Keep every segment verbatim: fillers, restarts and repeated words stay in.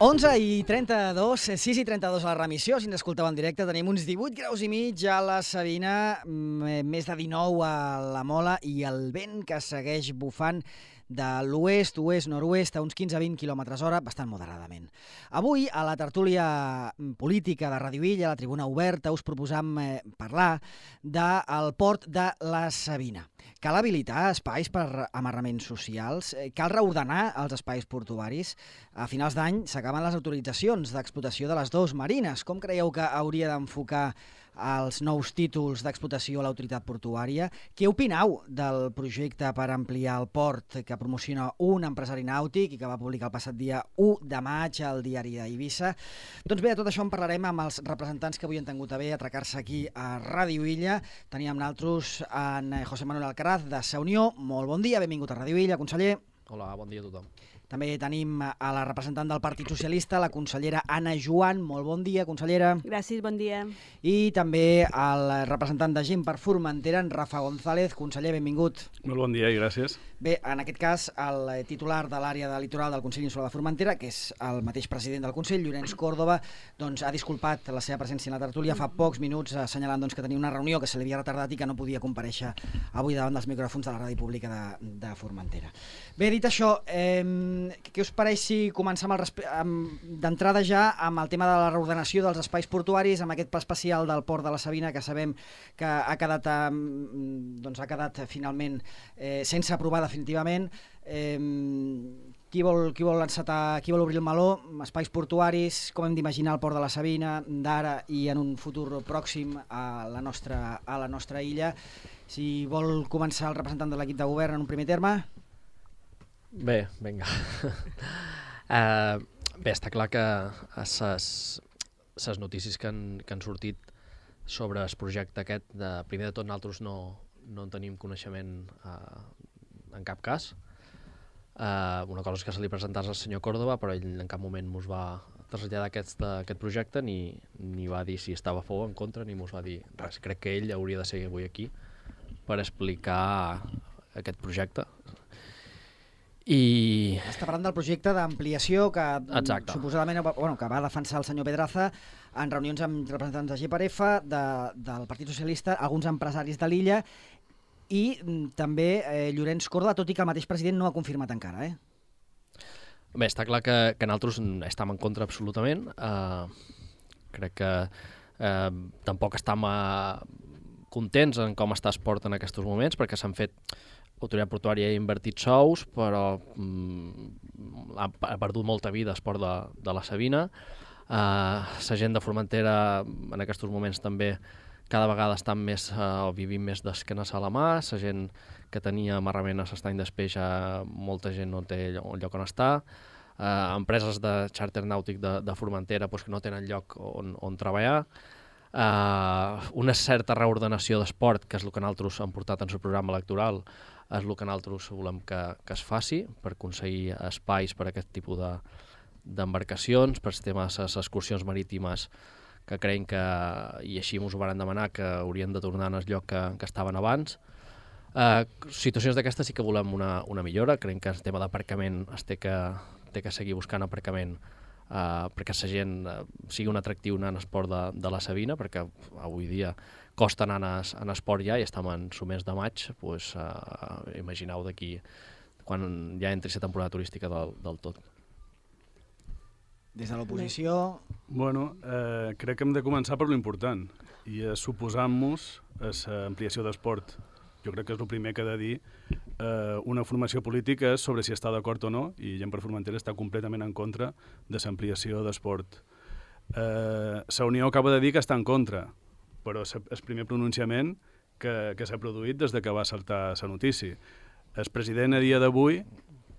onze i trenta-dos, sis i trenta-dos a la remissió, si ens escolteu en directe, tenim uns divuit graus i mig a la Sabina, més de dinou a la Mola i el vent que segueix bufant de l'oest, oest, nord-oest a uns quinze a vint quilòmetres hora, bastant moderadament. Avui, a la tertúlia política de Radio Illa, a la tribuna oberta, us proposam eh, parlar del port de la Sabina. Cal habilitar espais per amarraments socials? Cal reordenar els espais portuaris? A finals d'any s'acaben les autoritzacions d'explotació de les dues marines. Com creieu que hauria d'enfocar els nous títols d'explotació a l'autoritat portuària? Què opinau del projecte per ampliar el port que promociona un empresari nàutic i que va publicar el passat dia u de maig al diari d'Eivissa? Doncs bé, de tot això en parlarem amb els representants que avui han tingut a bé atracar-se aquí a Ràdio Illa. Teníem nosaltres en José Manuel Alcaraz de Sa Unió. Molt bon dia, benvingut a Ràdio Illa, conseller. Hola, bon dia a tothom. També tenim a la representant del Partit Socialista, la consellera Anna Joan. Molt bon dia, consellera. Gràcies, bon dia. I també el representant de Gent per Formentera, en Rafa González. Conseller, benvingut. Molt bon dia i gràcies. Bé, en aquest cas, el titular de l'àrea de litoral del Consell Insular de Formentera, que és el mateix president del Consell, Llorenç Córdoba, doncs, ha disculpat la seva presència en la tertúlia fa pocs minuts, assenyalant doncs, que tenia una reunió que se li havia retardat i que no podia comparèixer avui davant dels micròfons de la Ràdio Pública de, de Formentera. Bé, dit això, eh, què us pareix si comencem d'entrada ja amb el tema de la reordenació dels espais portuaris, amb aquest pla especial del Port de la Sabina, que sabem que ha quedat, eh, doncs, ha quedat finalment eh, sense aprovar definitivament. Eh, qui vol, qui vol encetar, qui vol obrir el meló? Espais portuaris, com hem d'imaginar el Port de la Sabina d'ara i en un futur pròxim a la nostra, a la nostra illa? Si vol començar el representant de l'equip de govern en un primer terme. Bé, vinga. uh, bé, està clar que les notícies que han, que han sortit sobre el projecte aquest, de, primer de tot nosaltres no, no en tenim coneixement uh, en cap cas. Uh, una cosa és que se li presentàs al senyor Córdoba, però ell en cap moment mos va traslladar aquest, aquest projecte, ni, ni va dir si estava a favor o en contra, ni mos va dir res. Crec que ell hauria de ser avui aquí per explicar aquest projecte. I... Està parlant del projecte d'ampliació que Exacte. suposadament bueno, que va defensar el senyor Pedraza en reunions amb representants de G per F, de, del Partit Socialista, alguns empresaris de l'illa i també eh, Llorenç Córdoba, tot i que el mateix president no ha confirmat encara. Eh? Bé, està clar que, que nosaltres estem en contra absolutament. Uh, crec que uh, tampoc estem uh, contents en com està el port en aquests moments, perquè s'han fet... L'autoritat portuària ha invertit sous, però mm, ha, ha perdut molta vida el port de, de la Sabina. Uh, la gent de Formentera en aquests moments també cada vegada estan més, uh, vivint més d'esquenes a la mà. La gent que tenia amarrament a l'estany d'espeix, uh, molta gent no té lloc, lloc on estar. Uh, empreses de xàrter nàutic de, de Formentera pues, que no tenen lloc on, on treballar. Uh, una certa reordenació d'esport, que és el que nosaltres hem portat en el programa electoral, és el que nosaltres volem que, que es faci per aconseguir espais per a aquest tipus de, d'embarcacions, per tema de les excursions marítimes que creiem que, i així ens ho van demanar, que haurien de tornar al lloc que, que estaven abans. Uh, situacions d'aquestes sí que volem una, una millora. Creiem que el tema d'aparcament es té que, té que seguir buscant aparcament Uh, perquè la gent uh, sigui un atractiu anar en esport de, de la Sabina, perquè avui dia costa anar en esport ja i estem en el mes de maig, pues, uh, imagineu d'aquí quan ja entri la temporada turística del, del tot. Des de l'oposició... Bueno, eh, crec que hem de començar per l'important i és suposant-nos a l'ampliació d'esport. Jo crec que és el primer que ha de dir eh, una formació política és sobre si està d'acord o no, i Gent per Formentera està completament en contra de l'ampliació d'esport. Eh, la Unió acaba de dir que està en contra, però és el primer pronunciament que, que s'ha produït des de que va saltar la notícia. El president a dia d'avui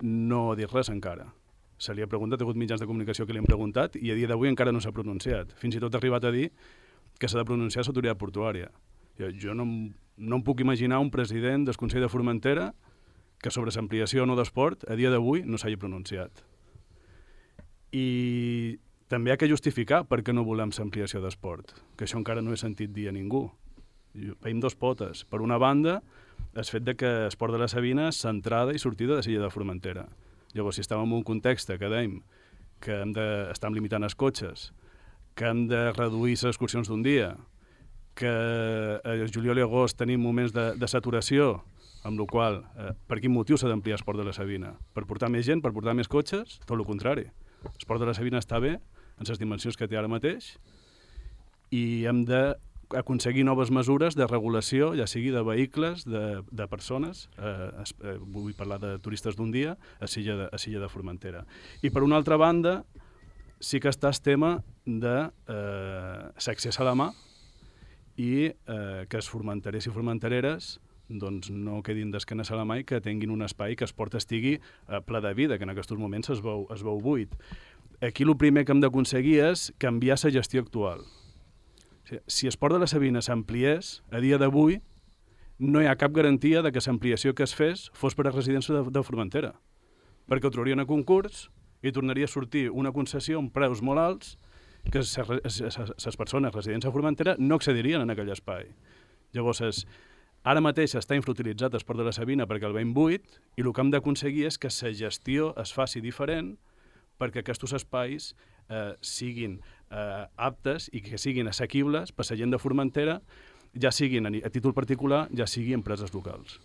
no ha dit res encara. Se li ha preguntat, ha hagut mitjans de comunicació que li han preguntat i a dia d'avui encara no s'ha pronunciat. Fins i tot ha arribat a dir que s'ha de pronunciar l'autoritat portuària. Jo, jo no, no em puc imaginar un president del Consell de Formentera que sobre l'ampliació o no d'esport a dia d'avui no s'hagi pronunciat. I també hi ha que justificar per què no volem l'ampliació d'esport, que això encara no he sentit dir a ningú. Veiem dos potes. Per una banda, el fet de que el port de la Sabina és centrada i sortida de l'illa de Formentera. Llavors, si estàvem en un context que dèiem que hem d'estar limitant els cotxes, que hem de reduir les excursions d'un dia, que a juliol i agost tenim moments de, de saturació, amb la qual eh, per quin motiu s'ha d'ampliar el Port de la Sabina? Per portar més gent, per portar més cotxes? Tot el contrari. El Port de la Sabina està bé, en les dimensions que té ara mateix, i hem d'aconseguir noves mesures de regulació, ja sigui de vehicles, de, de persones, eh, eh, vull parlar de turistes d'un dia, a Silla de, a Silla de Formentera. I per una altra banda, sí que està el tema de eh, l'accés a la mà i eh, que els formenterers i formentereres doncs no quedin d'esquenes a la mà i que tinguin un espai que el port estigui eh, ple de vida, que en aquests moments es veu, es veu buit. Aquí el primer que hem d'aconseguir és canviar la gestió actual. Si el Port de la Sabina s'ampliés, a dia d'avui no hi ha cap garantia de que l'ampliació que es fes fos per a residència de, de Formentera, perquè ho traurien a concurs i tornaria a sortir una concessió amb preus molt alts que les persones residents a Formentera no accedirien en aquell espai. Llavors, és, ara mateix està infrautilitzat el Port de la Sabina perquè el veiem buit i el que hem d'aconseguir és que la gestió es faci diferent perquè aquests espais eh, siguin eh, aptes i que siguin assequibles per la gent de Formentera, ja siguin a, a títol particular, ja sigui empreses locals.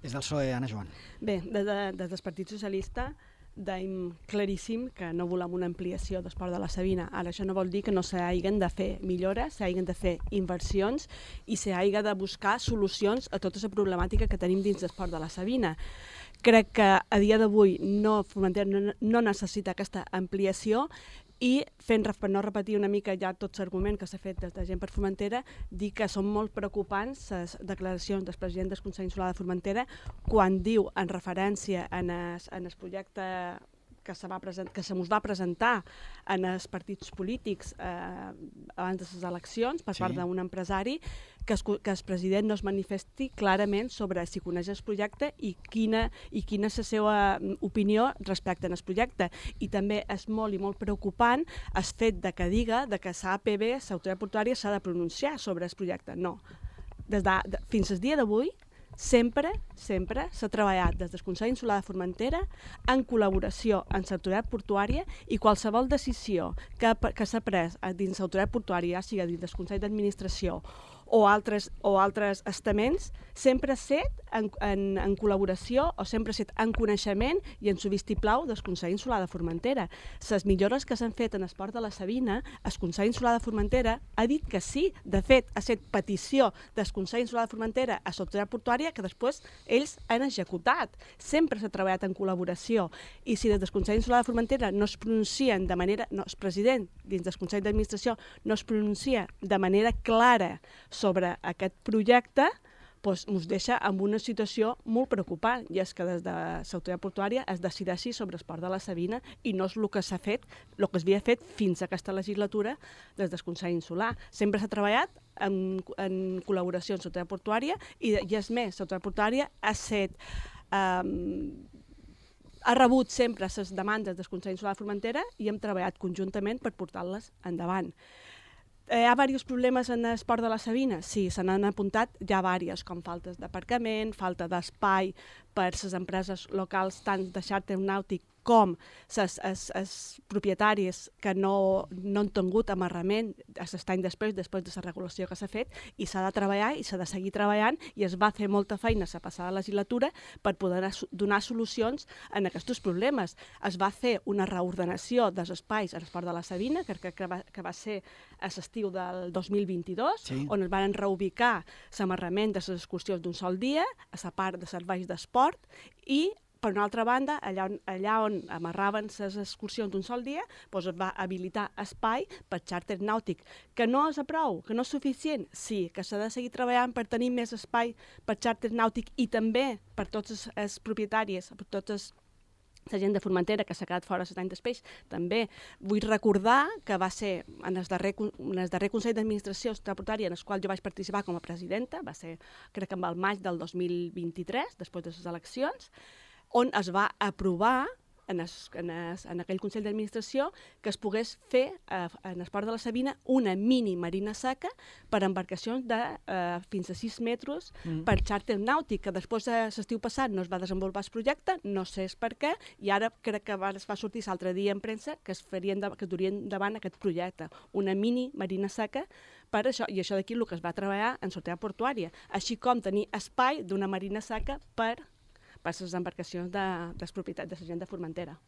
Des del P S O E, Anna Joan. Bé, des, de, des del Partit Socialista deim claríssim que no volem una ampliació del Port de la Sabina. Ara, això no vol dir que no s'hagin de fer millores, s'hagin de fer inversions i s'hagin de buscar solucions a tota la problemàtica que tenim dins del Port de la Sabina. Crec que a dia d'avui no, Formentera no, no necessita aquesta ampliació i, fent, per no repetir una mica ja tot l'argument que s'ha fet des de gent per Formentera, dir que són molt preocupants les declaracions del president del Consell Insular de Formentera quan diu, en referència en el, en el projecte que se, va present, que se mos va presentar en els partits polítics eh, abans de les eleccions per sí. part d'un empresari, que es, que el president no es manifesti clarament sobre si coneix el projecte i quina, i quina és la seva opinió respecte al projecte. I també és molt i molt preocupant el fet de que diga de que l'A P B, l'autoritat portuària, s'ha de pronunciar sobre el projecte. No. Des de, de, fins al dia d'avui, sempre, sempre s'ha treballat des del Consell Insular de Formentera en col·laboració amb l'autoritat portuària i qualsevol decisió que, que s'ha pres dins l'autoritat portuària, ja sigui dins del Consell d'Administració o altres, o altres estaments, sempre ha set en, en, en col·laboració o sempre ha set en coneixement i en su vistiplau del Consell Insular de Formentera. Les millores que s'han fet en el Port de la Sabina, el Consell Insular de Formentera ha dit que sí. De fet, ha set petició del Consell Insular de Formentera a l'autoritat portuària que després ells han executat. Sempre s'ha treballat en col·laboració i si des del Consell Insular de Formentera no es pronuncien de manera... No, el president dins del Consell d'Administració no es pronuncia de manera clara sobre aquest projecte, doncs ens deixa en una situació molt preocupant, i és que des de l'autoritat portuària es decideixi sobre el Port de la Sabina i no és el que s'ha fet, el que s'havia fet fins a aquesta legislatura des del Consell Insular. Sempre s'ha treballat en, en col·laboració amb l'autoritat portuària i, i és més, l'autoritat portuària ha set... Um, ha rebut sempre les demandes del Consell Insular de Formentera i hem treballat conjuntament per portar-les endavant. Hi ha diversos problemes en el Port de la Sabina? Sí, se n'han apuntat ja diversos, com faltes d'aparcament, falta d'espai per les empreses locals, tant de xàrter nàutic com els propietaris que no, no han tingut amarrament l'any després, després de la regulació que s'ha fet, i s'ha de treballar i s'ha de seguir treballant i es va fer molta feina a la passada legislatura per poder donar solucions en aquests problemes. Es va fer una reordenació dels espais al Port de la Sabina, que, que, va, que va ser a l'estiu del dos mil vint-i-dos, sí. on es van reubicar l'amarrament de les excursions d'un sol dia, a la part de serveis d'esport, i per una altra banda, allà on, allà on amarraven les excursions d'un sol dia, doncs es va habilitar espai per xàrter nàutic. Que no és a prou, que no és suficient? Sí, que s'ha de seguir treballant per tenir més espai per xàrter nàutic i també per tots els, els propietaris, per tots els la gent de Formentera que s'ha quedat fora set anys després. També vull recordar que va ser en el darrer, en el darrer Consell d'Administració Portuària en el qual jo vaig participar com a presidenta, va ser crec que en el maig del dos mil vint-i-tres, després de les eleccions, on es va aprovar en, es, en, es, en aquell Consell d'Administració que es pogués fer eh, en el port de la Sabina una mini marina seca per embarcacions de eh, fins a sis metres mm. per xàrter nàutic, que després de l'estiu passat no es va desenvolupar el projecte, no sé per què, i ara crec que va, es va sortir l'altre dia en premsa que es, farien de, que es durien davant aquest projecte, una mini marina seca per això, i això d'aquí el que es va treballar en sortida portuària, així com tenir espai d'una marina seca per, per les embarcacions de, de propietat de la gent de Formentera.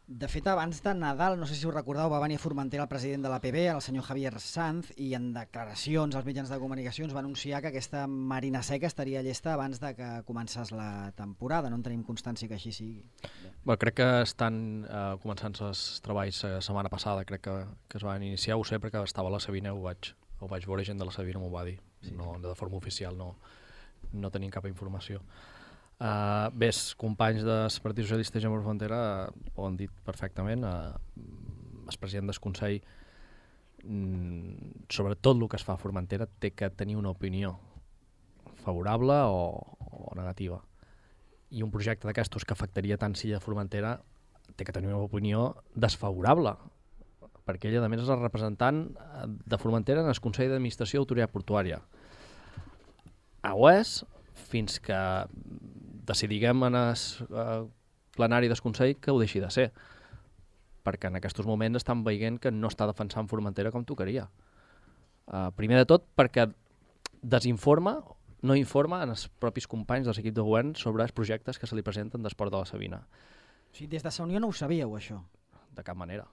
De fet, abans de Nadal, no sé si us recordeu, va venir a Formentera el president de l'A P B, el senyor Javier Sanz, i en declaracions als mitjans de comunicacions va anunciar que aquesta marina seca estaria llesta abans de que començés la temporada. No en tenim constància que així sigui. Bé, crec que estan eh, començant els treballs la setmana passada, crec que, que es van iniciar, ho sé perquè estava a la Sabina, ho vaig, ho vaig veure, gent de la Sabina m'ho va dir, sí. No, de forma oficial no, no tenim cap informació. Uh, bé, els companys del Partit Socialista Gent per Formentera ho han dit perfectament. Uh, el president del Consell, mm, sobre tot el que es fa a Formentera, té que tenir una opinió favorable o, o negativa. I un projecte d'aquestos que afectaria tant Silla de Formentera té que tenir una opinió desfavorable, perquè ell, a més, és el representant de Formentera en el Consell d'Administració d'Autoritat Portuària. Ho és fins que decidiguem en el uh, plenari del Consell que ho deixi de ser, perquè en aquests moments estan veient que no està defensant Formentera com tocaria. Uh, primer de tot perquè desinforma, no informa en els propis companys dels equips de govern sobre els projectes que se li presenten del port de la Sabina. O sigui, des de la Unió no ho sabíeu, això? De cap manera,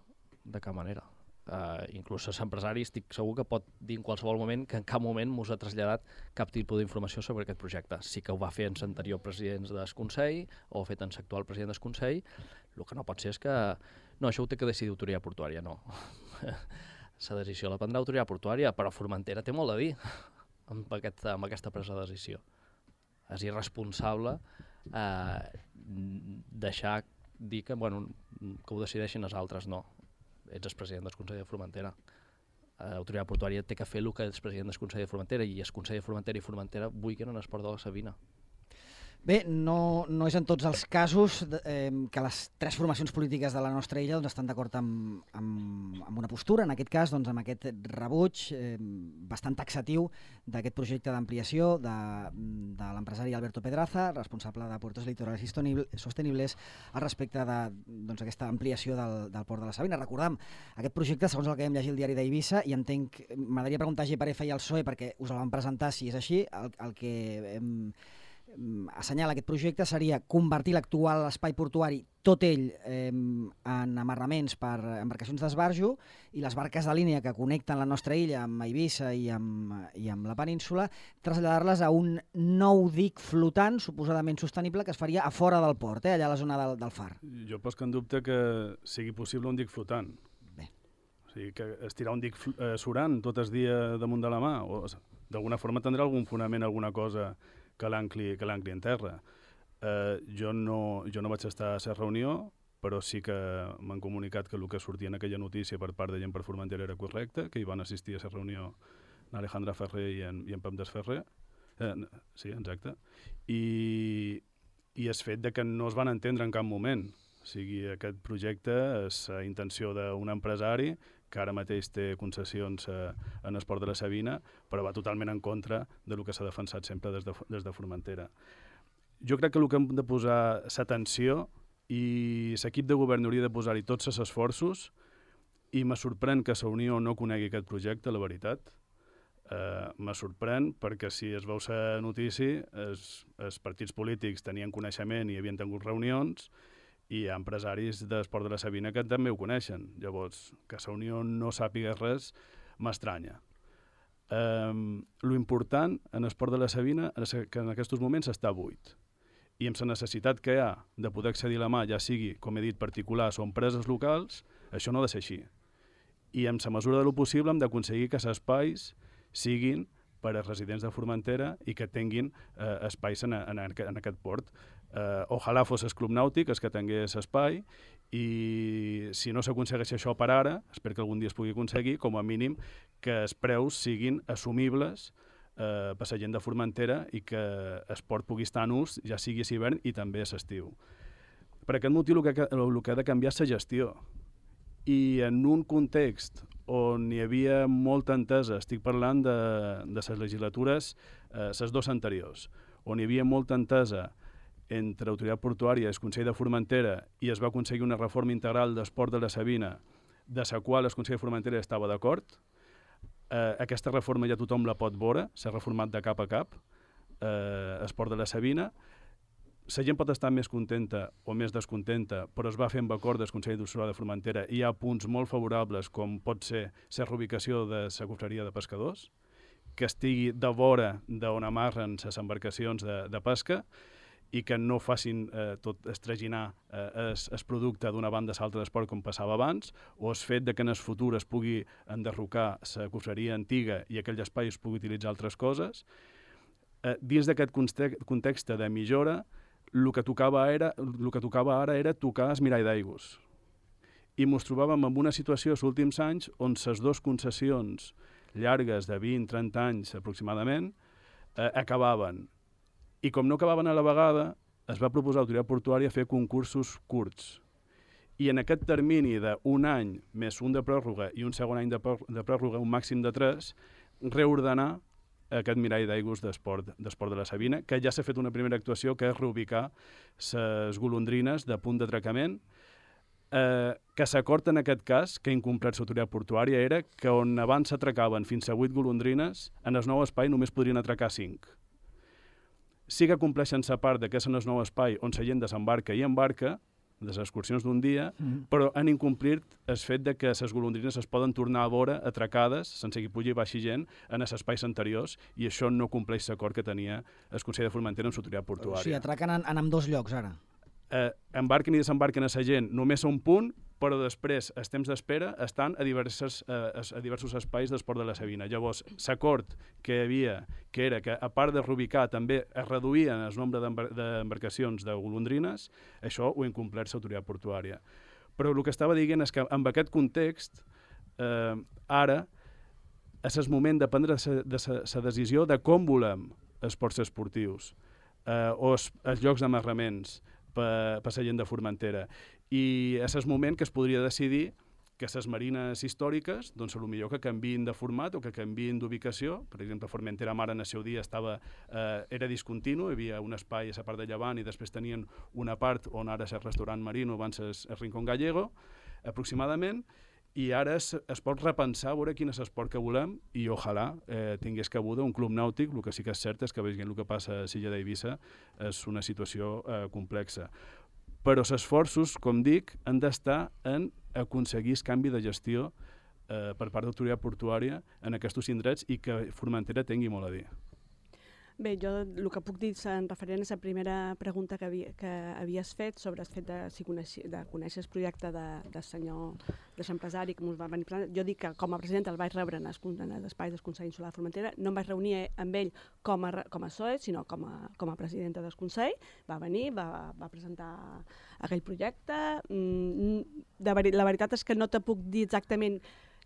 de cap manera. Uh, inclús l'empresari estic segur que pot dir en qualsevol moment que en cap moment mos ha traslladat cap tipus d'informació sobre aquest projecte. Sí que ho va fer en l'anterior president del Consell o ho ha fet en l'actual president del Consell. El que no pot ser és que no, això ho té que decidir Autoritat Portuària, no. La decisió la prendrà Autoritat Portuària, però Formentera té molt a dir amb, aquest, amb aquesta presa de decisió. És irresponsable eh, deixar dir que, bueno, que ho decideixin els altres, no. Ets el president del Consell de Formentera. L'Autoritat Portuària té que fer el que és president del Consell de Formentera, i el Consell de Formentera i Formentera vulguin en el port de la Sabina. Bé, no, no és en tots els casos eh, que les tres formacions polítiques de la nostra illa doncs, estan d'acord amb, amb, amb una postura, en aquest cas doncs, amb aquest rebuig eh, bastant taxatiu d'aquest projecte d'ampliació de, de l'empresari Alberto Pedraza, responsable de Puertos Litorales Sostenibles, al respecte d'aquesta doncs, ampliació del, del port de la Sabina. Recordem, aquest projecte, segons el que vam llegir al diari d'Eivissa, i entenc, m'agradaria preguntar a G P F i al P S O E perquè us el van presentar si és així, el, el que hem assenyala aquest projecte seria convertir l'actual espai portuari, tot ell eh, en amarraments per embarcacions d'esbarjo, i les barques de línia que connecten la nostra illa amb Eivissa i amb, i amb la península, traslladar-les a un nou dic flotant, suposadament sostenible, que es faria a fora del port, eh, allà a la zona del, del far. Jo poso en dubte que sigui possible un dic flotant. Bé. O sigui, que estirar un dic eh, surant tot el dia damunt de la mà, o d'alguna forma tindrà algun fonament, alguna cosa que l'ancli que l'ancli en terra. Eh, jo, no, jo no vaig estar a la reunió, però sí que m'han comunicat que el que sortia en aquella notícia per part de Gent per Formentera era correcte, que hi van assistir a la reunió en Alejandra Ferrer i en, i en Pep Desferrer. Eh, sí, exacte. I, i el fet de que no es van entendre en cap moment. O sigui, aquest projecte és la intenció d'un empresari que ara mateix té concessions eh, en el port de la Sabina, però va totalment en contra del que s'ha defensat sempre des de, des de Formentera. Jo crec que el que hem de posar l'atenció, i l'equip de govern hauria de posar-hi tots els esforços, i me sorprèn que la Unió no conegui aquest projecte, la veritat. Eh, me sorprèn perquè si es veu la notícia, els, els partits polítics tenien coneixement i havien tingut reunions, i hi ha empresaris del port de la Sabina que també ho coneixen. Llavors, que la Unió no sàpiga res m'estranya. Um, lo important en el port de la Sabina és que en aquests moments està buit. I amb la necessitat que hi ha de poder accedir a la mà, ja sigui, com he dit, particulars o empreses locals, això no ha de ser així. I amb la mesura de lo possible hem d'aconseguir que els espais siguin per als residents de Formentera i que tinguin eh, espais en, en, en aquest port. Uh, ojalà fos el Club Nàutic el que tingués espai, i si no s'aconsegueix això per ara, espero que algun dia es pugui aconseguir, com a mínim que els preus siguin assumibles uh, per la gent de Formentera i que el port pugui estar en ús, ja sigui a l'hivern i també a l'estiu. Per aquest motiu el que, el que ha de canviar és la gestió. I en un context on hi havia molta entesa, estic parlant de, de les legislatures, eh, les dues anteriors, on hi havia molta entesa entre l'autoritat portuària i el Consell de Formentera i es va aconseguir una reforma integral d'esport de la Sabina, de la qual el Consell de Formentera estava d'acord. Eh, aquesta reforma ja tothom la pot veure, s'ha reformat de cap a cap, eh, esport de la Sabina. La gent pot estar més contenta o més descontenta, però es va fer amb acord del Consell d'Ossola de Formentera i hi ha punts molt favorables, com pot ser la reubicació de la confraria de pescadors, que estigui de vora d'on amarren les embarcacions de, de pesca i que no facin eh, tot estraginar eh, el producte d'una banda a l'altra d'esport com passava abans, o el fet de que en el futur es pugui enderrocar la confraria antiga i aquell espai es pugui utilitzar altres coses. Eh, dins d'aquest context de millora, el que tocava era, el que tocava ara era tocar el mirall d'aigües. I ens trobàvem en una situació als últims anys on les dues concessions llargues de vint a trenta anys aproximadament eh, acabaven. I com no acabaven a la vegada, es va proposar a l'autoritat portuària fer concursos curts. I en aquest termini d'un any més un de pròrroga i un segon any de pròrroga, un màxim de tres, reordenar aquest mirall d'aigües d'esport de la Sabina, que ja s'ha fet una primera actuació, que és reubicar les golondrines de punt d'atracament, eh, que l'acord en aquest cas, que ha incomplert l'autoritat portuària, era que on abans s'atracaven fins a vuit golondrines, en el nou espai només podrien atracar cinc. Sí que compleixen la part que és en el nou espai on la gent desembarca i embarca, de les excursions d'un dia, mm. però han incomplit el fet de que les golondrines es poden tornar a veure atracades, sense que pugui baixi gent, en els espais anteriors, i això no compleix l'acord que tenia el Consell de Formentera amb l'autoritat portuària. O sigui, atraquen en, en ambdós llocs, ara? Eh, embarquen i desembarquen a la gent només a un punt, però després, els temps d'espera, estan a, diverses, eh, a diversos espais d'esport de la Sabina. Llavors, l'acord que hi havia, que era que, a part de reubicar, també es reduïen el nombre d'embarcacions de golondrines, això ho ha incomplert l'autoritat portuària. Però el que estava dient és que, amb aquest context, eh, ara és el moment de prendre la decisió de com volem esports esportius eh, o els, els llocs d'amarraments per, per la gent de Formentera. I és el moment que es podria decidir que les marines històriques, doncs, potser que canviïn de format o que canviïn d'ubicació. Per exemple, Formentera Mar en el seu dia estava, eh, era discontinu, hi havia un espai a la part de llevant i després tenien una part on ara és el restaurant Marino, abans és el Rincón Gallego, aproximadament, i ara es, es pot repensar, veure quin és l'esport que volem i ojalà eh, tingués cabuda un club nàutic. El que sí que és cert és que veient el que passa a l'illa d'Eivissa és una situació eh, complexa. Però els esforços, com dic, han d'estar en aconseguir el canvi de gestió eh, per part de l'autoritat portuària en aquests indrets i que Formentera tingui molt a dir. Bé, jo el que puc dir en referent a la primera pregunta que, havia, que havies fet sobre el fet de, si coneixi, de conèixer el projecte de, de senyor de l'empresari que ens va venir presentar. Jo dic que com a president el vaig rebre en l'espai del Consell Insular de Formentera. No em vaig reunir amb ell com a, com a S O E, sinó com a, com a presidenta del Consell. Va venir, va, va presentar aquell projecte. De veri, la veritat és que no te puc dir exactament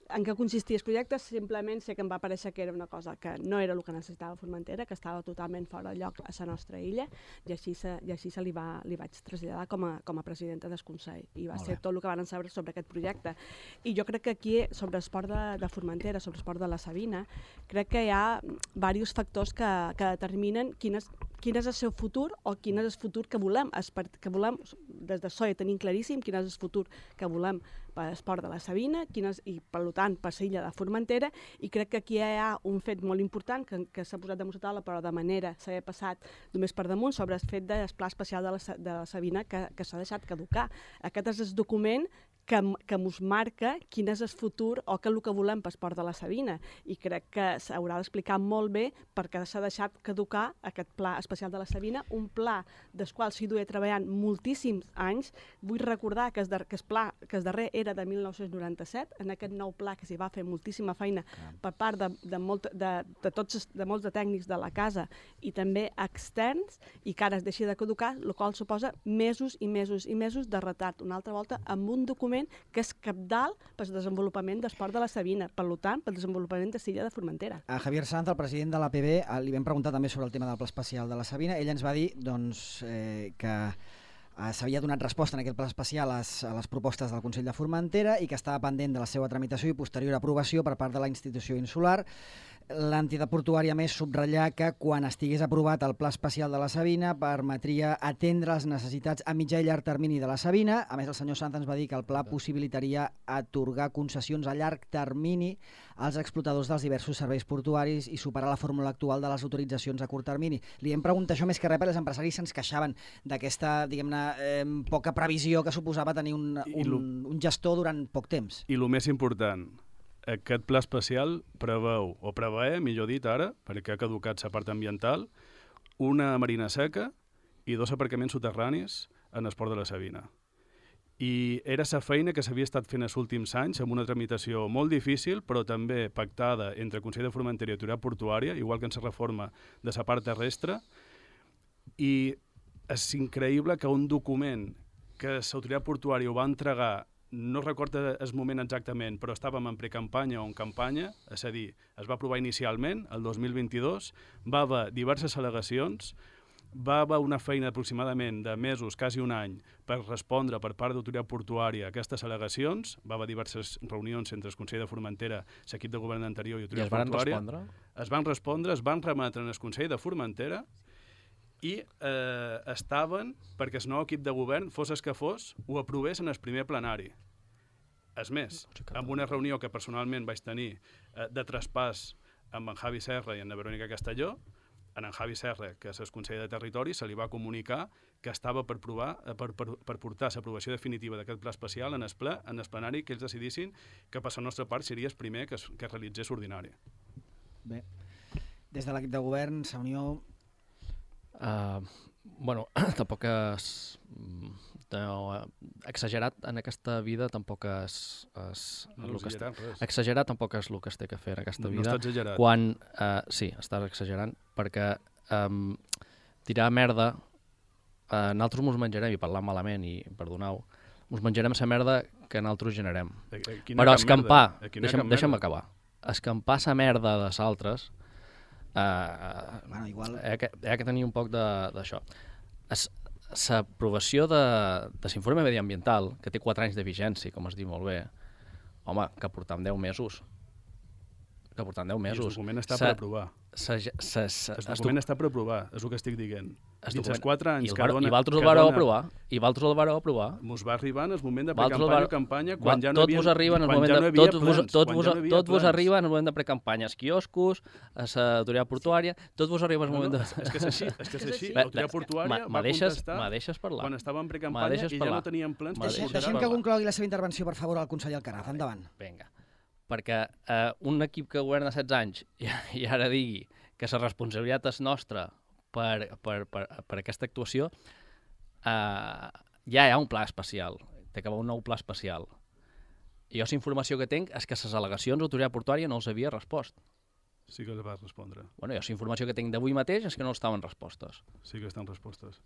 en què consistia el projecte, simplement sé que em va parèixer que era una cosa que no era el que necessitava Formentera, que estava totalment fora de lloc a la nostra illa, i així se, i així se li, va, li vaig traslladar com a, com a presidenta del Consell. I va ser tot el que van saber sobre aquest projecte. I jo crec que aquí, sobre l'esport de, de Formentera, sobre l'esport de la Sabina, crec que hi ha diversos factors que, que determinen quin és, quin és el seu futur o quin és el futur que volem. Que volem des de S O E tenim claríssim quin és el futur que volem per l'esport de la Sabina, quin és, i per tant per l'illa de Formentera, i crec que aquí hi ha un fet molt important que, que s'ha posat damunt la taula, però de manera s'ha passat només per damunt, sobre el fet del pla especial de la, de la Sabina que, que s'ha deixat caducar. Aquest és el document que, que ens marca quin és el futur o que el que volem per l'esport de la Sabina, i crec que s'haurà d'explicar molt bé perquè s'ha deixat caducar aquest pla especial de la Sabina, un pla del qual s'hi duia treballant moltíssims anys. Vull recordar que el, que el pla que el darrer era de mil nou-cents noranta-set, en aquest nou pla que s'hi va fer moltíssima feina per part de, de, molt, de, de, tots, de molts de tècnics de la casa i també externs, i que ara es deixi de caducar, el qual suposa mesos i mesos i mesos de retard, una altra volta, amb un document que és cabdal per al desenvolupament d'esport de la Sabina, per tant, pel desenvolupament de l'illa de Formentera. A Javier Sanz, el president de l'A P B, li vam preguntar també sobre el tema del pla especial de la Sabina. Ell ens va dir doncs, eh, que s'havia donat resposta en aquest pla especial a les, a les propostes del Consell de Formentera i que estava pendent de la seva tramitació i posterior aprovació per part de la institució insular. L'entitat portuària més subratllar que quan estigués aprovat el pla especial de la Sabina permetria atendre les necessitats a mitjà i llarg termini de la Sabina. A més, el senyor Sanz ens va dir que el pla possibilitaria atorgar concessions a llarg termini als explotadors dels diversos serveis portuaris i superar la fórmula actual de les autoritzacions a curt termini. Li hem preguntat això més que res perquè els empresaris se'ns queixaven d'aquesta, diguem-ne, eh, poca previsió que suposava tenir un, un, un gestor durant poc temps. I el més important, aquest pla especial preveu, o preveia, millor dit ara, perquè ha caducat la part ambiental, una marina seca i dos aparcaments soterranis en el port de la Sabina. I era la feina que s'havia estat fent els últims anys amb una tramitació molt difícil, però també pactada entre el Consell de Formentera i Autoritat Portuària, igual que en la reforma de la part terrestre, i és increïble que un document que l'Autoritat Portuària ho va entregar, no recordo el moment exactament, però estàvem en precampanya o en campanya, és a dir, es va aprovar inicialment, el dos mil vint-i-dos, va haver diverses al·legacions, va haver una feina aproximadament de mesos, quasi un any, per respondre per part d'Autoritat Portuària a aquestes al·legacions, va haver diverses reunions entre el Consell de Formentera, l'equip de govern anterior i Autoritat Portuària. I es van respondre? Es van respondre, es van remetre en el Consell de Formentera i eh, estaven perquè el nou equip de govern, fos el que fos, ho aprovés en el primer plenari. És més, en una reunió que personalment vaig tenir eh, de traspàs amb en Javi Serra i en la Verònica Castelló, en en Javi Serra, que és el conseller de Territori, se li va comunicar que estava per, provar, per, per, per portar l'aprovació definitiva d'aquest pla especial en el, ple, en el plenari que ells decidissin que per la nostra part seria el primer que, es, que realitzés ordinari. Bé, des de l'equip de govern, la Unió... Uh, bueno, tampoc és... No, exagerat en aquesta vida tampoc és... és no, el que exagerat, es, exagerat tampoc és el que es té que fer en aquesta no, vida. No està exagerat. Quan, uh, sí, estàs exagerant, perquè um, tirar merda, uh, nosaltres mos menjarem, i parlant malament, i perdoneu, mos menjarem la merda que nosaltres generem. Però escampar, deixa'm, deixa'm acabar, escampar la merda dels altres, uh, bueno, igual... hi ha que, hi ha que tenir un poc d'això. L'aprovació de, de l'informe mediambiental, que té quatre anys de vigència, com es diu molt bé, home, que portam deu mesos. Que portam deu mesos. I el document està per aprovar. Sa, sa, sa, el document està per aprovar, és el que estic dient. Dins els quatre anys que dona... I vosaltres el vareu aprovar. I vosaltres el vareu aprovar. Mos va arribar en el moment de precampanya o campanya, quan ja no hi havia... Tot vos arriba en el moment de... Tot vos, tot vos, tot vos arriba en el moment de precampanya. Els quioscos, a l'autoritat portuària, tot vos arriba en el moment de... És que és així, és que és així. L'autoritat portuària va contestar quan estava en precampanya i ja no tenien plans per portar. Deixem que conclogui la seva intervenció, per favor, al conseller Alcaraz. Endavant. Vinga. Perquè eh, un equip que governa setze anys i, i ara digui que la responsabilitat és nostra per, per, per, per aquesta actuació, eh, ja hi ha un pla especial, té que haver un nou pla especial. I jo la informació que tinc és que les al·legacions d'autoritat portuària no els havia respost. Sí que els va respondre. Bueno, jo la informació que tinc d'avui mateix és que no els estaven respostes. Sí que estan respostes.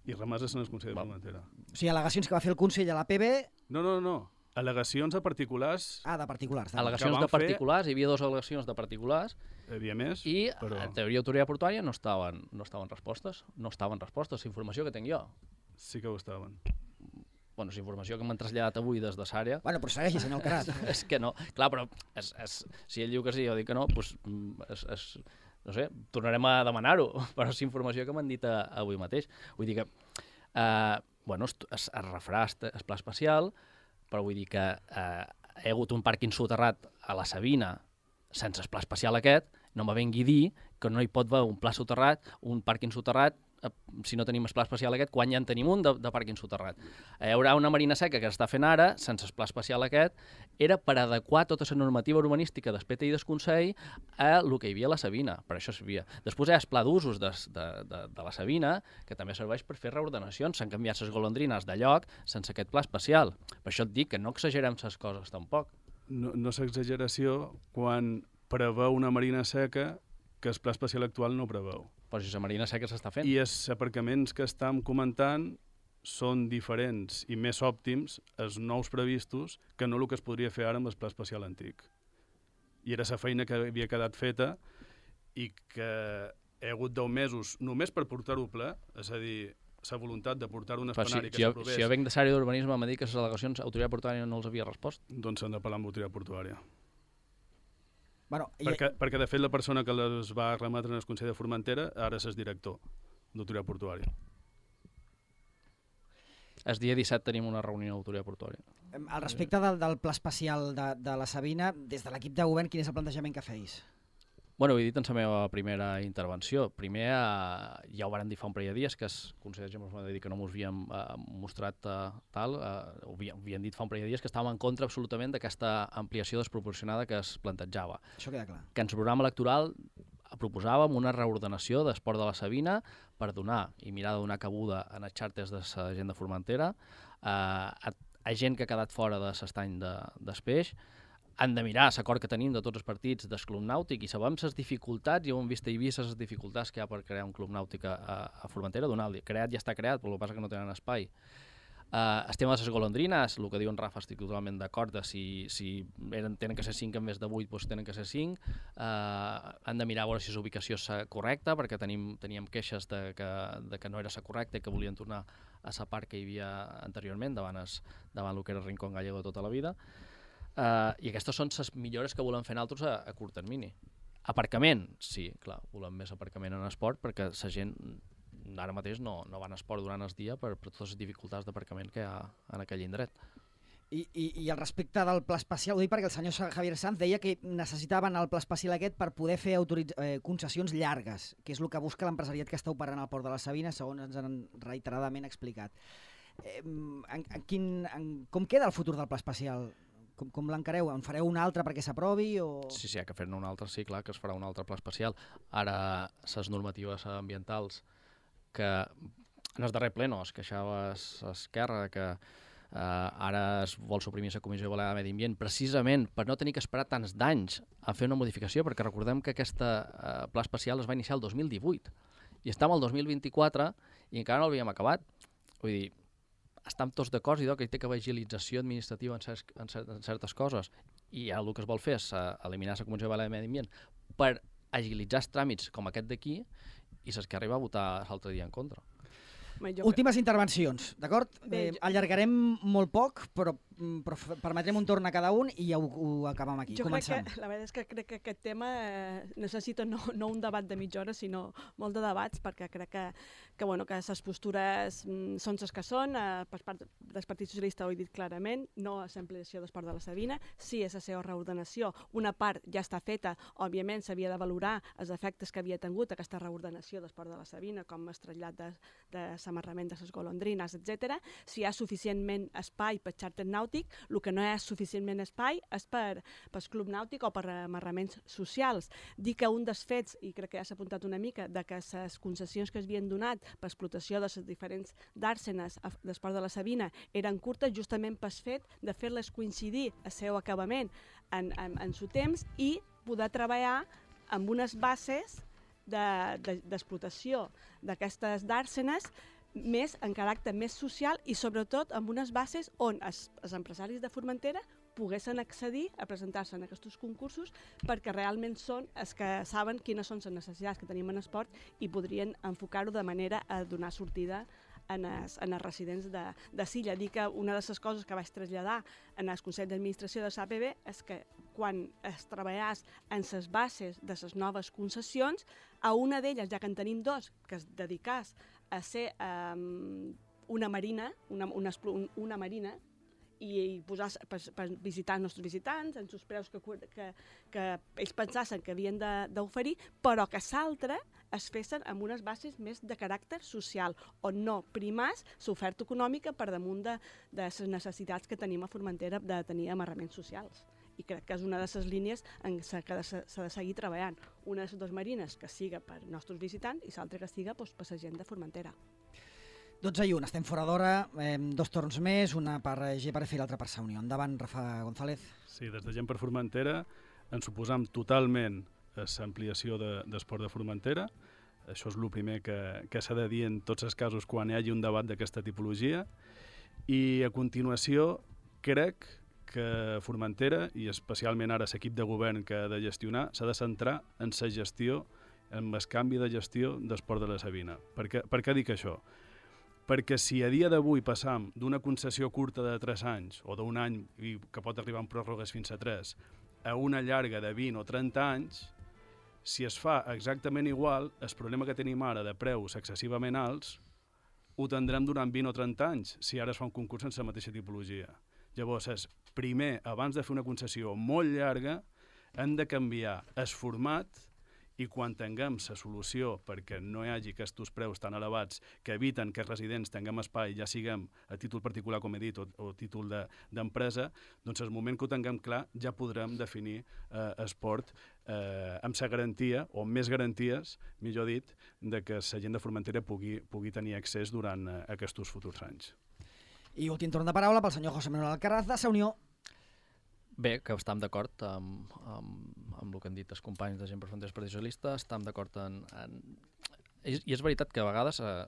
I remeses en el Consell de Formentera. O sigui, al·legacions que va fer el Consell a la P B... No, no, no. Al·legacions de particulars... Ah, de particulars. Al·legacions de particulars, fer... hi havia dues al·legacions de particulars. Hi havia més, I, però... en teoria, autoritat portuària no estaven, no estaven respostes. No estaven respostes, la informació que tinc jo. Sí que ho estaven. Bueno, la informació que m'han traslladat avui des de l'àrea... Bueno, però segueixi, senyor Alcaraz. És que no. Clar, però és, és, si ell diu que sí, jo dic que no, doncs, és, és, no sé, tornarem a demanar-ho, però és la informació que m'han dit a, avui mateix. Vull dir que, eh, bueno, es, es, es refarà el pla especial, però vull dir que eh, hi ha hagut un pàrquing soterrat a la Sabina sense el pla especial aquest, no me vengui dir que no hi pot haver un pla soterrat, un pàrquing soterrat, eh, si no tenim el pla especial aquest, quan ja en tenim un de, de pàrquing soterrat. Hi haurà una marina seca que s'està fent ara, sense el pla especial aquest, era per adequar tota la normativa urbanística del P T I del Consell a el que hi havia a la Sabina, per això servia. Després hi ha el pla d'usos de, de, de, de la Sabina, que també serveix per fer reordenacions, s'han canviat les golondrines de lloc sense aquest pla especial. Per això et dic que no exagerem les coses tampoc. No, no és exageració quan preveu una marina seca que el pla especial actual no preveu. Però si la marina seca s'està fent. I els aparcaments que estem comentant són diferents i més òptims, els nous previstos, que no el que es podria fer ara amb el pla especial antic. I era la feina que havia quedat feta i que he hagut deu mesos només per portar-ho ple, és a dir, la voluntat de portar un Però escenari si, que si, jo, s'aprovés... si jo venc de l'àrea d'urbanisme, m'ha dit que les al·legacions autoritat portuària no els havia respost. Doncs s'han de parlar amb l'autoritat portuària. Bueno, i... Perquè, perquè, de fet, la persona que les va remetre en el Consell de Formentera ara és director d'autoritat portuària. El dia disset tenim una reunió d'autoritat portuària. Al respecte del, del pla especial de, de la Sabina, des de l'equip de govern, quin és el plantejament que feis? Bueno, ho he dit en la meva primera intervenció. Primer, eh, ja ho varen dir fa un parell de dies, que els consellers ens van dir que no ens havíem eh, mostrat eh, tal, eh, ho havien, havien dit fa un parell de dies que estàvem en contra absolutament d'aquesta ampliació desproporcionada que es plantejava. Això queda clar. Que en el programa electoral proposàvem una reordenació d'esport de la Sabina per donar i mirar de donar cabuda en els xàrters de la gent de Formentera, eh, a, a gent que ha quedat fora de l'estany de, d'Espeix. Han de mirar l'acord que tenim de tots els partits del club nàutic i sabem les dificultats, i ho hem vist a Eivissa, les dificultats que hi ha per crear un club nàutic a, a Formentera. Donar-li, creat ja està creat, però el que passa que no tenen espai. Uh, el tema de les golondrines, el que diu en Rafa, estic totalment d'acord, de si, si eren, tenen que ser cinc en vez de vuit, doncs tenen que ser cinc. Uh, han de mirar a veure si la ubicació és correcta, perquè tenim, teníem queixes de que, de que no era la correcta i que volien tornar a la part que hi havia anteriorment, davant, es, davant el que era el Rincón Gallego de tota la vida. Uh, I aquestes són les millores que volem fer nosaltres a, a curt termini. Aparcament, sí, clar, volem més aparcament en esport, perquè la gent ara mateix no, no van a esport durant el dia per, per totes les dificultats d'aparcament que hi ha en aquell indret. I, i, I al respecte del pla especial, ho dic perquè el senyor Javier Sanz deia que necessitaven el pla especial aquest per poder fer autoritz... eh, concessions llargues, que és el que busca l'empresariat que està operant al Port de la Sabina, segons ens han reiteradament explicat. Eh, en, en quin, en, com queda el futur del pla especial? Com, com l'encareu? En fareu un altre perquè s'aprovi? O... Sí, sí, hi ha que fer-ne un altre, sí, clar, que es farà un altre pla especial. Ara, les normatives ambientals que en el darrer ple no, es queixava Esquerra que eh, ara es vol suprimir la Comissió de Balear de Medi Ambient precisament per no tenir que esperar tants d'anys a fer una modificació, perquè recordem que aquesta eh, pla especial es va iniciar el dos mil divuit i estem al dos mil vint-i-quatre i encara no l'havíem acabat. Vull dir, estem tots d'acord i que hi té que haver agilització administrativa en, certs, en, cert, en certes coses, i ara el que es vol fer és uh, eliminar la Comissió de Balear de Medi Ambient per agilitzar els tràmits com aquest d'aquí, i saps que arriba a votar l'altre dia en contra. Últimes intervencions, d'acord? Bé, eh, allargarem molt poc, però, però permetrem un torn a cada un i ja ho, ho acabem aquí. Jo Comencem. crec que, la veritat és que crec que aquest tema eh, necessita no, no un debat de mitja hora, sinó molt de debats, perquè crec que, que, bueno, que les postures mm, són les que són. Eh, per part del Partit Socialista ho he dit clarament, no a l'ampliació d'Esport de la Sabina, sí és la seva reordenació. Una part ja està feta, òbviament s'havia de valorar els efectes que havia tingut aquesta reordenació d'Esport de la Sabina, com el trasllat de, de l'amarrament de les golondrines, etcètera. Si hi ha suficientment espai per xàrter nàutic, el que no hi ha suficientment espai és per, per club nàutic o per amarraments socials. Dir que un dels fets, i crec que ja s'ha apuntat una mica, de que les concessions que es havien donat per explotació de les diferents dàrsenes d'Esport de la Sabina eren curtes justament pel fet de fer-les coincidir el seu acabament en, en, en su temps i poder treballar amb unes bases d'explotació de, de, d'aquestes dàrsenes més en caràcter més social i sobretot amb unes bases on els, els empresaris de Formentera poguessin accedir a presentar-se en aquests concursos perquè realment són els que saben quines són les necessitats que tenim en esport i podrien enfocar-ho de manera a donar sortida en els, en els residents de, de Silla. Dir que una de les coses que vaig traslladar en el Consell d'Administració de l'A P B és que quan es treballàs en les bases de les noves concessions, a una d'elles, ja que en tenim dos, que es dedicàs a ser um, una marina, una, una, una marina, i posar per, per visitar els nostres visitants, en els preus que, que, que ells pensaven que havien d'oferir, però que l'altre es fessin amb unes bases més de caràcter social, on no primàs l'oferta econòmica per damunt de, de les necessitats que tenim a Formentera de tenir amarraments socials. I crec que és una de les línies en què s'ha de seguir treballant. Una de les dues marines que siga per nostres visitants i l'altra que siga doncs, per la gent de Formentera. dotze i un, estem fora d'hora, eh, dos torns més, una per G per F i l'altra per Sa Unió. Endavant, Rafa González. Sí, des de Gent per Formentera ens oposam totalment a l'ampliació d'Esport de Formentera. Això és el primer que, que s'ha de dir en tots els casos quan hi hagi un debat d'aquesta tipologia. I a continuació crec que Formentera, i especialment ara l'equip de govern que ha de gestionar, s'ha de centrar en la gestió, en el canvi de gestió d'Esport de la Sabina. Per què, per què dic això? perquè si a dia d'avui passam d'una concessió curta de tres anys o d'un any i que pot arribar en pròrrogues fins a tres a una llarga de vint o trenta anys, si es fa exactament igual, el problema que tenim ara de preus excessivament alts ho tindrem durant vint o trenta anys si ara es fa un concurs sense la mateixa tipologia. Llavors, és, primer, abans de fer una concessió molt llarga, hem de canviar el format i quan tinguem la solució perquè no hi hagi aquests preus tan elevats que eviten que els residents tinguem espai, ja siguem a títol particular, com he dit, o, o títol d'empresa, de, doncs el moment que ho tinguem clar ja podrem definir eh, esport eh, amb la garantia, o amb més garanties, millor dit, de que la gent de Formentera pugui, pugui tenir accés durant eh, aquests futurs anys. I últim torn de paraula pel senyor José Manuel Alcaraz, de Sa Unió. Bé, que estem d'acord amb, amb, amb el que han dit els companys de Gent per Fronteres Partit Socialista, estem d'acord en, en... I, I és veritat que a vegades... Eh,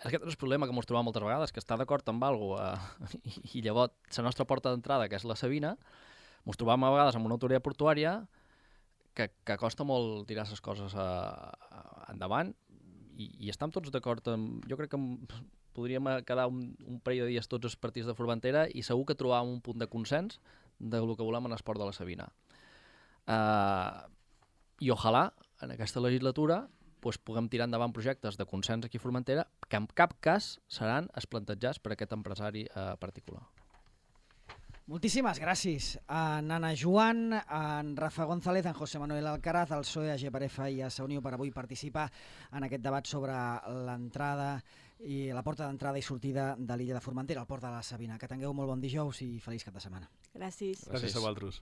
aquest és el problema que ens trobem moltes vegades, que està d'acord amb alguna cosa eh, i, i llavors la nostra porta d'entrada, que és la Sabina, ens trobem a vegades amb una autoria portuària que, que costa molt tirar les coses a, a, endavant i, i estem tots d'acord amb... Jo crec que podríem quedar un, un parell de dies tots els partits de Formentera i segur que trobàvem un punt de consens del que volem en l'esport de la Sabina. Uh, I ojalà, en aquesta legislatura, pues, puguem tirar endavant projectes de consens aquí a Formentera que en cap cas seran els plantejats per aquest empresari uh, particular. Moltíssimes gràcies a Nana Joan, a en Rafa González, a en José Manuel Alcaraz, al P S O E, a G per F i a Sa Unió per avui participar en aquest debat sobre l'entrada i la porta d'entrada i sortida de l'illa de Formentera, al port de la Sabina. Que tingueu molt bon dijous i feliç cap de setmana. Gràcies. Gràcies a vosaltres.